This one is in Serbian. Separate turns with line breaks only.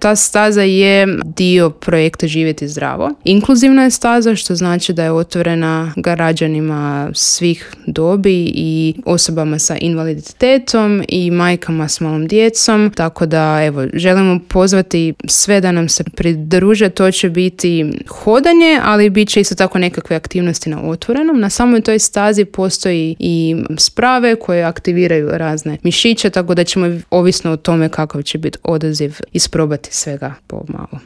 Ta staza je dio projekta Živjeti zdravo. Inkluzivna je staza, što znači da je otvorena građanima svih dobi i osobama sa invaliditetom i majkama s malom djecom. Tako da, evo, želimo pozvati sve da nam se pridruže. To će biti hodanje, ali bit će isto tako nekakve aktivnosti na otvorenom. Na samoj toj stazi postoji i sprave koje aktiviraju razne mišiće, tako da ćemo, ovisno o tome kakav će biti odaziv, isprobati svega pomalo.